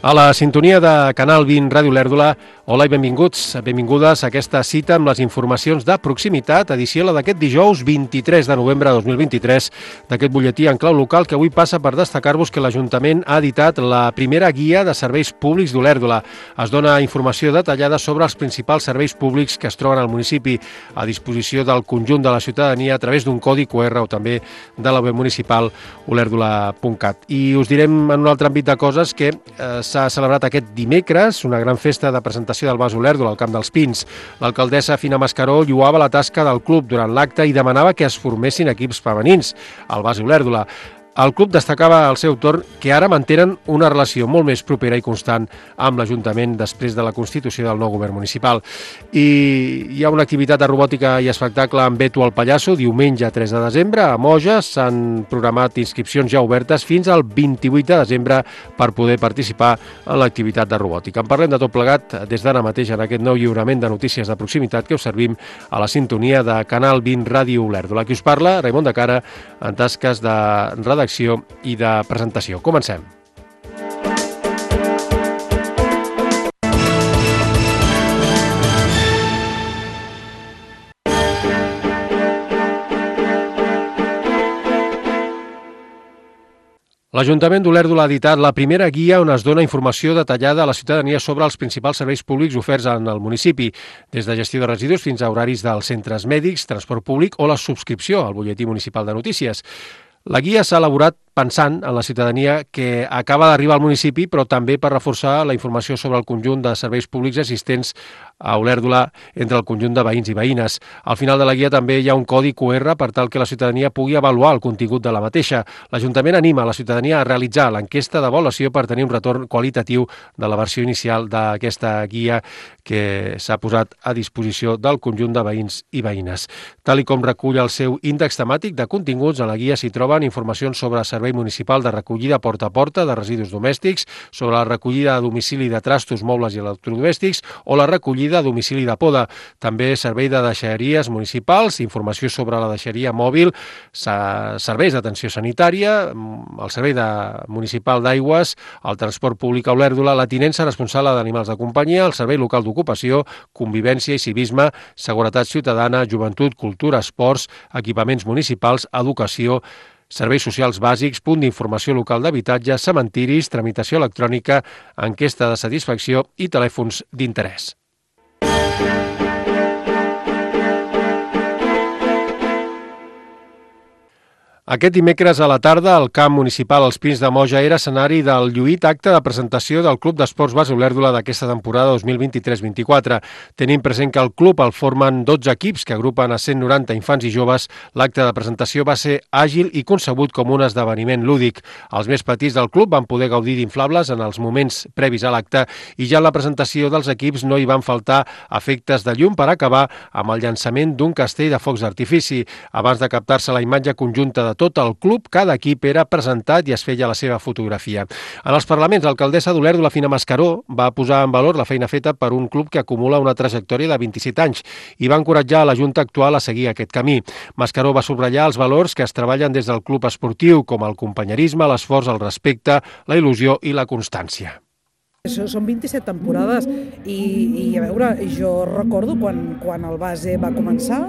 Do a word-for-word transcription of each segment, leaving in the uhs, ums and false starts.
A la sintonia de Canal vint Ràdio Olèrdola, hola i benvinguts, benvingudes a aquesta cita amb les informacions de proximitat, edició la d'aquest dijous vint-i-tres de novembre de dos mil vint-i-tres, d'aquest butlletí en clau local que avui passa per destacar-vos que l'Ajuntament ha editat la primera guia de serveis públics d'Olèrdola. Es dona informació detallada sobre els principals serveis públics que es troben al municipi a disposició del conjunt de la ciutadania a través d'un codi Q R o també de la web municipal olèrdola punt cat. I us direm en un altre àmbit de coses que eh, s'ha celebrat aquest dimecres una gran festa de presentació del Bas Olèrdola al Camp dels Pins. L'alcaldessa Fina Mascaró lloava la tasca del club durant l'acte i demanava que es formessin equips femenins al Bas Olèrdola. El club destacava al seu torn que ara mantenen una relació molt més propera i constant amb l'Ajuntament després de la constitució del nou govern municipal. I hi ha una activitat de robòtica i espectacle amb Beto el Pallasso, diumenge tres de desembre, a Moja. S'han programat inscripcions ja obertes fins al vint-i-vuit de desembre per poder participar en l'activitat de robòtica. En parlem de tot plegat des d'ara mateix en aquest nou lliurament de notícies de proximitat que us servim a la sintonia de Canal vint Ràdio Olèrdola. Qui us parla, Raimon de Cara, en tasques de redacció i de presentació. Comencem. L'Ajuntament d'Olèrdola ha editat la primera guia on es dona informació detallada a la ciutadania sobre els principals serveis públics oferts en el municipi, des de gestió de residus fins a horaris dels centres mèdics, transport públic o la subscripció al butlletí municipal de notícies. La guia s'ha elaborat pensant en la ciutadania que acaba d'arribar al municipi, però també per reforçar la informació sobre el conjunt de serveis públics existents a Olèrdola entre el conjunt de veïns i veïnes. Al final de la guia també hi ha un codi Q R per tal que la ciutadania pugui avaluar el contingut de la mateixa. L'Ajuntament anima la ciutadania a realitzar l'enquesta d'avaluació per tenir un retorn qualitatiu de la versió inicial d'aquesta guia que s'ha posat a disposició del conjunt de veïns i veïnes. Tal i com recull el seu índex temàtic de continguts, a la guia s'hi troben informacions sobre servei municipal de recollida porta a porta de residus domèstics, sobre la recollida a domicili de trastos, mobles i electrodomèstics o la recollida a domicili de poda. També servei de deixalleries municipals, informació sobre la deixalleria mòbil, serveis d'atenció sanitària, el servei de municipal d'aigües, el transport públic a Olèrdola, la tinença responsable d'animals de companyia, el servei local d'ocupació, convivència i civisme, seguretat ciutadana, joventut, cultura, esports, equipaments municipals, educació, serveis socials bàsics, punt d'informació local d'habitatge, cementiris, tramitació electrònica, enquesta de satisfacció i telèfons d'interès. Aquest dimecres a la tarda, el camp municipal Els Pins de Moja era escenari del lluït acte de presentació del Club d'Esports Bas Olèrdola d'aquesta temporada dos mil vint-i-tres vint-i-quatre. Tenim present que el club el formen dotze equips que agrupen a cent noranta infants i joves. L'acte de presentació va ser àgil i concebut com un esdeveniment lúdic. Els més petits del club van poder gaudir d'inflables en els moments previs a l'acte i ja en la presentació dels equips no hi van faltar efectes de llum per acabar amb el llançament d'un castell de focs d'artifici. Abans de captar-se la imatge conjunta de tot el club, cada equip era presentat i es feia la seva fotografia. En els parlaments, l'alcaldessa d'Olèrdola, Fina Mascaró, va posar en valor la feina feta per un club que acumula una trajectòria de vint-i-set anys i va encoratjar a la Junta actual a seguir aquest camí. Mascaró va subratllar els valors que es treballen des del club esportiu, com el companyerisme, l'esforç, el respecte, la il·lusió i la constància. Són vint-i-set temporades i, i a veure, jo recordo quan, quan el base va començar,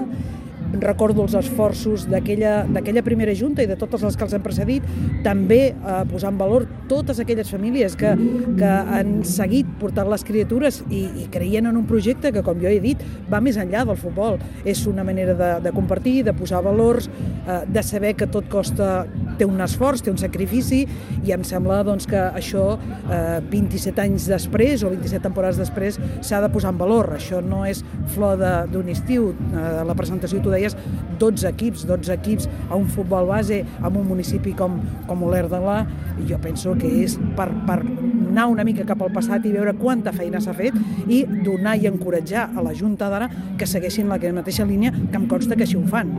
recordo els esforços d'aquella primera junta i de totes les que els han precedit, també eh, posar en valor totes aquelles famílies que, que han seguit portant les criatures i, i creien en un projecte que, com jo he dit, va més enllà del futbol. És una manera de, de compartir, de posar valors, eh, de saber que tot costa, té un esforç, té un sacrifici, i em sembla doncs, que això eh, vint-i-set anys després o vint-i-set temporades després s'ha de posar en valor. Això no és flor d'un estiu. Eh, la presentació, tu deies, dotze equips, dotze equips a un futbol base en un municipi com, com Olèrdola, i jo penso que és per, per anar una mica cap al passat i veure quanta feina s'ha fet i donar i encoratjar a la Junta d'ara que segueixin la mateixa línia, que em consta que així ho fan.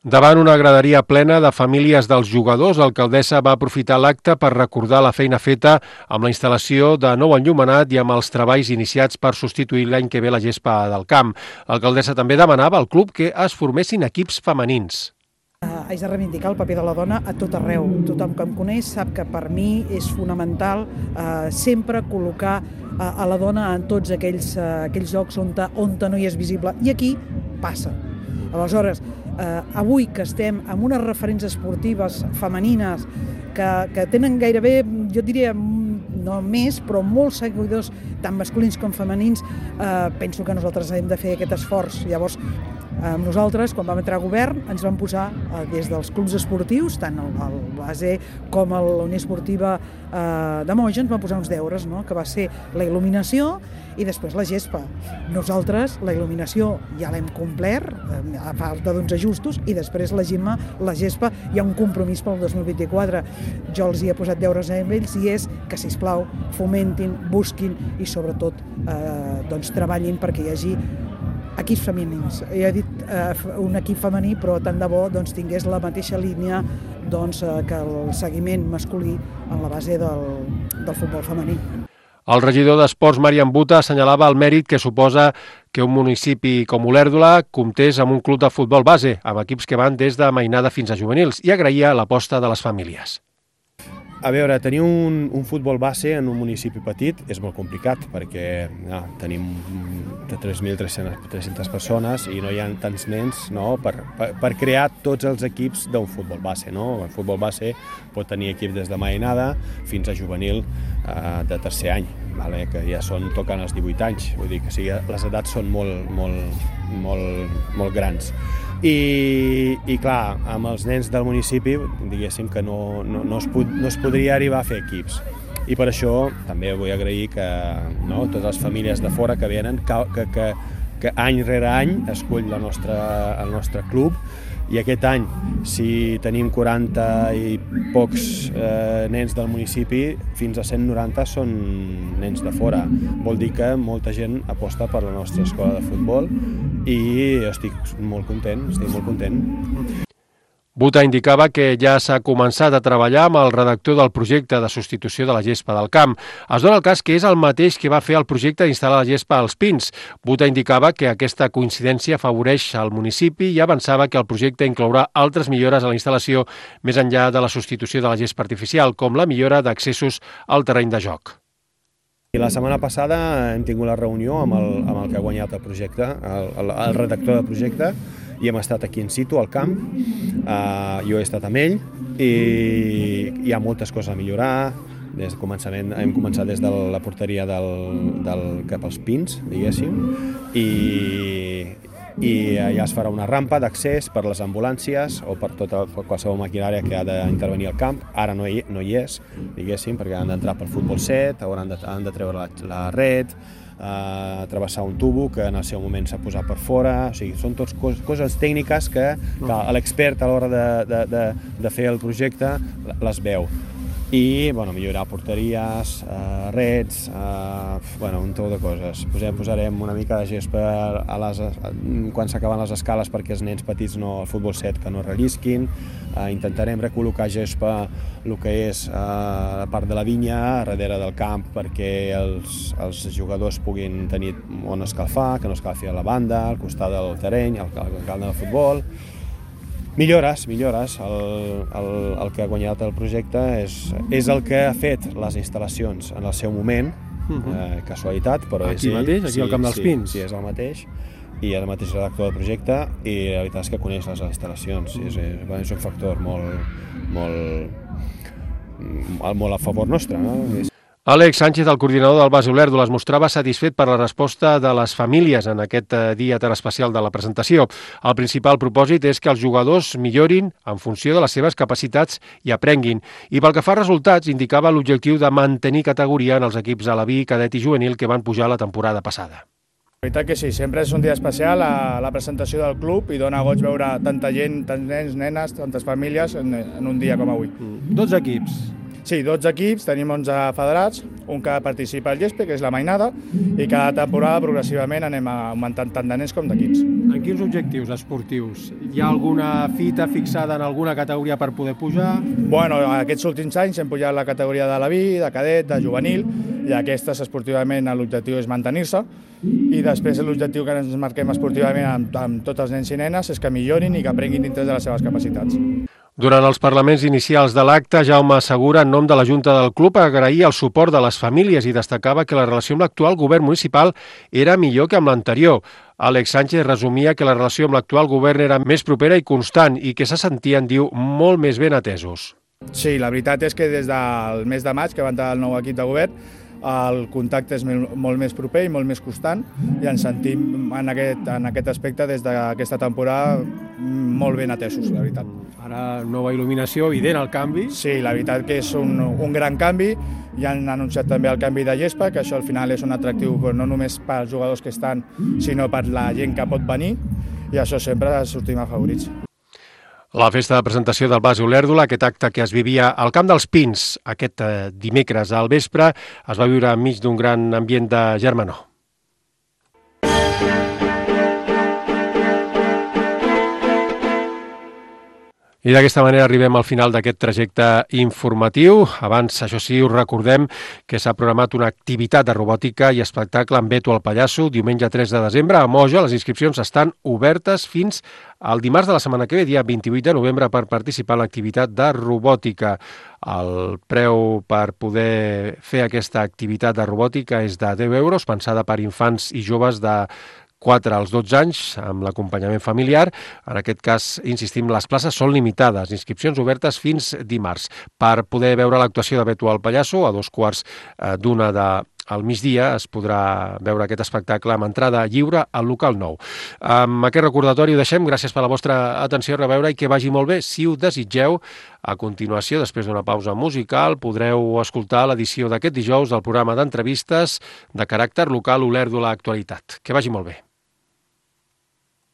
Davant una graderia plena de famílies dels jugadors, l'alcaldessa va aprofitar l'acte per recordar la feina feta amb la instal·lació de nou enllumenat i amb els treballs iniciats per substituir l'any que ve la gespa del camp. L'alcaldessa també demanava al club que es formessin equips femenins. Haig de reivindicar el paper de la dona a tot arreu. Tothom que em coneix sap que per mi és fonamental eh, sempre col·locar eh, a la dona en tots aquells, eh, aquells llocs on, on no hi és visible. I aquí passa. Aleshores, eh, avui que estem amb unes referents esportives femenines que, que tenen gairebé, jo diria, no més, però molts seguidors, tant masculins com femenins, eh, penso que nosaltres hem de fer aquest esforç. Llavors, eh, nosaltres, quan vam entrar a govern, ens vam posar eh, des dels clubs esportius, tant el, el base com a la Unió Esportiva eh, de Moja, ens vam posar uns deures, no?, que va ser la il·luminació i després la gespa. Nosaltres la il·luminació ja l'hem complert, eh, a falta d'uns ajustos, i després la Gemma, la gespa, hi ha un compromís pel dos mil vint-i-quatre. Jo els hi he posat deures a ells i és que, sisplau, fomentin, busquin i sobretot eh, doncs, treballin perquè hi hagi equips femenins. Ja he dit eh, un equip femení, però tant de bo doncs, tingués la mateixa línia doncs, eh, que el seguiment masculí en la base del, del futbol femení. El regidor d'Esports, Marian Buta, assenyalava el mèrit que suposa que un municipi com Olèrdola comptés amb un club de futbol base, amb equips que van des de mainada fins a juvenils, i agraïa l'aposta de les famílies. A veure, tenir un, un futbol base en un municipi petit és molt complicat perquè no, tenim tres mil tres-centes persones i no hi ha tants nens, no, per, per, per crear tots els equips d'un futbol base. No? El futbol base pot tenir equip des de mainada fins a juvenil eh, de tercer any, vale? Que ja són, toquen els divuit anys, vull dir que sí, les edats són molt, molt, molt, molt grans. I, i clar, amb els nens del municipi, diguéssim que no, no, no, es pod, no es podria arribar a fer equips. I per això també vull agrair que no, totes les famílies de fora que venen, que, que, que, que any rere any escull la nostra, el nostre club, i aquest any, si tenim quaranta i pocs eh, nens del municipi, fins a cent noranta són nens de fora. Vol dir que molta gent aposta per la nostra escola de futbol i estic molt content, estic molt content. Buta indicava que ja s'ha començat a treballar amb el redactor del projecte de substitució de la gespa del camp. Es dona el cas que és el mateix que va fer el projecte d'instal·lar la gespa als Pins. Buta indicava que aquesta coincidència afavoreix al municipi i avançava que el projecte inclourà altres millores a la instal·lació més enllà de la substitució de la gespa artificial, com la millora d'accessos al terreny de joc. I la setmana passada hem tingut la reunió amb el, amb el que ha guanyat el projecte, el, el, el redactor del projecte, i hem estat aquí in situ, al camp. Uh, jo he estat amb ell i hi ha moltes coses a millorar. Des del començament, hem començat des de la porteria del, del cap als Pins, diguéssim, i, i allà es farà una rampa d'accés per les ambulàncies o per tota per qualsevol maquinària que ha d'intervenir al camp. Ara no hi, no hi és, diguéssim, perquè han d'entrar pel futbol set, hauran de, han de treure la, la red, Uh, travessar un tubo que en el seu moment s'ha posat per fora, o sigui, són tots cos, coses tècniques que, que l'expert a l'hora de, de, de, de fer el projecte les veu. I bueno, millorar porteries, uh, reds, uh, bueno, un tot de coses. Posem, posarem una mica de gespa a les, a, quan s'acaben les escales perquè els nens petits, no, el futbol set, que no rellisquin. Uh, intentarem recol·locar gespa el que és uh, la part de la vinya, darrere del camp, perquè els, els jugadors puguin tenir on escalfar, que no escalfi a la banda, al costat del terreny, al, al camp del futbol. Millores, millores. El, el, el que ha guanyat el projecte és, és el que ha fet les instal·lacions en el seu moment, uh-huh. eh, casualitat, però aquí és ell. Mateix, aquí sí, al Camp dels sí, Pins. Sí, és el mateix, i el mateix redactor del projecte, i la veritat és que coneix les instal·lacions. Uh-huh. és, és, és un factor molt, molt, molt a favor nostre, no? És... Àlex Sánchez, el coordinador del Base Olèrdola, es mostrava satisfet per la resposta de les famílies en aquest dia tan especial de la presentació. El principal propòsit és que els jugadors millorin en funció de les seves capacitats i aprenguin. I pel que fa a resultats, indicava l'objectiu de mantenir categoria en els equips alaví, cadet i juvenil que van pujar la temporada passada. La veritat que sí, sempre és un dia especial a la presentació del club i dona goig veure tanta gent, tants nens, nenes, tantes famílies en, en un dia com avui. dotze equips. Sí, dotze equips, tenim onze federats, un que participa al Llespe, que és la mainada, i cada temporada progressivament anem augmentant tant de nens com d'equips. En quins objectius esportius? Hi ha alguna fita fixada en alguna categoria per poder pujar? Bueno, aquests últims anys hem pujat la categoria de la B I, de cadet, de juvenil, i aquestes esportivament l'objectiu és mantenir-se, i després l'objectiu que ens marquem esportivament amb, amb tots els nens i nenes és que millorin i que aprenguin dintre de les seves capacitats. Durant els parlaments inicials de l'acte, Jaume Segura, en nom de la Junta del Club, agraïa el suport de les famílies i destacava que la relació amb l'actual govern municipal era millor que amb l'anterior. Àlex Sánchez resumia que la relació amb l'actual govern era més propera i constant i que se sentien, diu, molt més ben atesos. Sí, la veritat és que des del mes de maig, que va entrar el nou equip de govern, el contacte és molt més proper i molt més constant i ens sentim en aquest, en aquest aspecte des d'aquesta temporada molt ben atesos, la veritat. Ara nova il·luminació, evident el canvi. Sí, la veritat que és un, un gran canvi i han anunciat també el canvi de gespa, que això al final és un atractiu no només pels jugadors que estan, sinó per la gent que pot venir i això sempre sortim afavorits. La festa de presentació del Base Olèrdola, aquest acte que es vivia al Camp dels Pins aquest dimecres al vespre, es va viure enmig d'un gran ambient de germanor. I d'aquesta manera arribem al final d'aquest trajecte informatiu. Abans, això sí, us recordem que s'ha programat una activitat de robòtica i espectacle amb Beto el Pallasso diumenge tres de desembre a Moja. Les inscripcions estan obertes fins al dimarts de la setmana que ve, dia vint-i-vuit de novembre, per participar en l'activitat de robòtica. El preu per poder fer aquesta activitat de robòtica és de deu euros, pensada per infants i joves de quatre als dotze anys, amb l'acompanyament familiar. En aquest cas, insistim, les places són limitades, inscripcions obertes fins dimarts. Per poder veure l'actuació de Beto el Pallasso, a dos quarts d'una de al migdia es podrà veure aquest espectacle amb entrada lliure al local nou. Amb aquest recordatori ho deixem. Gràcies per la vostra atenció, a reveure i que vagi molt bé. Si ho desitgeu, a continuació, després d'una pausa musical, podreu escoltar l'edició d'aquest dijous del programa d'entrevistes de caràcter local Olèrdola Actualitat. Que vagi molt bé.